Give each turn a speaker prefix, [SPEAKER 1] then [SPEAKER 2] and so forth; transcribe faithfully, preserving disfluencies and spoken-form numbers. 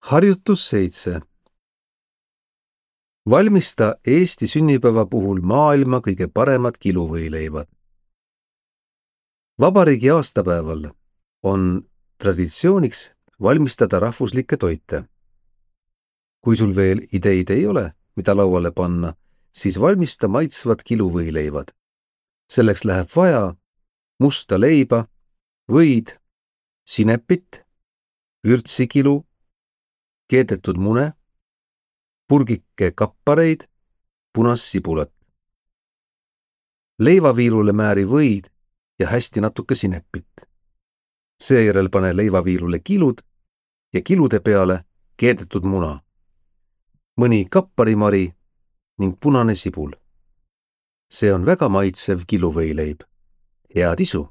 [SPEAKER 1] Harjutus seitse. Valmista Eesti sünnipäeva puhul maailma kõige paremad kiluvõileivad. Vabariigi aastapäeval on traditsiooniks valmistada rahvuslikke toite. Kui sul veel ideid ei ole, mida lauale panna, siis valmista maitsvad kiluvõileivad. Selleks läheb vaja musta leiba, võid, sinepit, vürtsikilu, keedetud mune, purgike kappareid, punast sibulat. Leivaviilule määri võid ja hästi natuke sinepit. Seejärel pane leivaviilule kilud ja kilude peale keedetud muna, mõni kapparimari ning punane sibul. See on väga maitsev kiluvõileib. Head isu!